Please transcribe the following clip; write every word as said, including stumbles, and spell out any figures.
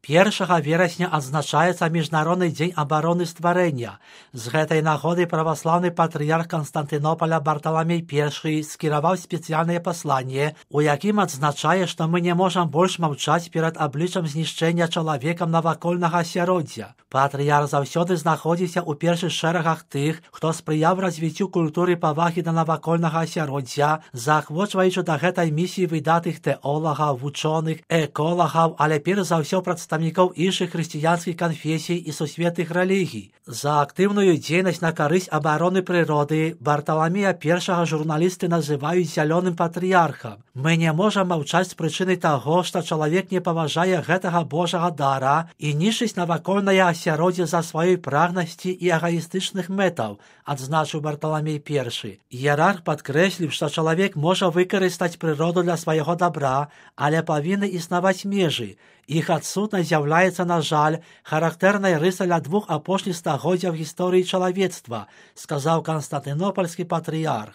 Першага верасня адзначаецца міжнародны дзень абароны стварэння. З гэтай нагоды праваслаўны патрыярх Канстантынопаля Барталамей першы скіраваў спецыяльнае пасланне, у якім адзначае, што мы не можам больш маўчаць перад абліччам знішчэння чалавекам навакольнага асяроддзя. Патрыярх заўсёды знаходзіўся ў першых шэрагах тых, хто спрыяў развіццю культуры павагі да навакольнага асяроддзя, заахвочваючы да гэтай місіі выдатных тэолагаў, вучоных, эколагаў, але перш за ўсё прадстаўнікоў іншых хрысціянскіх канфесій і сусветных рэлігій. За актыўную дзейнасць на карысць абароны прыроды Барталамея першага журналісты называюць зялёным патрыярхам. Мы не можам маўчаць з прычыны таго, што чалавек не паважае гэтага божага дара і нішчыць навакольнае асяроддзе за сваёй прагнасці і эгаістычных мэтаў, адзначыў Барталамей першы. Іерарх падкрэсліў, што чалавек можа выкарыстаць прыроду для свайго дабра, але павінны існаваць межы. Іх адсутнасць з'яўляецца, на жаль, характэрнай рысай для двух апошніх стагоддзяў гісторыі чалавецтва, сказаў канстантынопальскі патрыярх.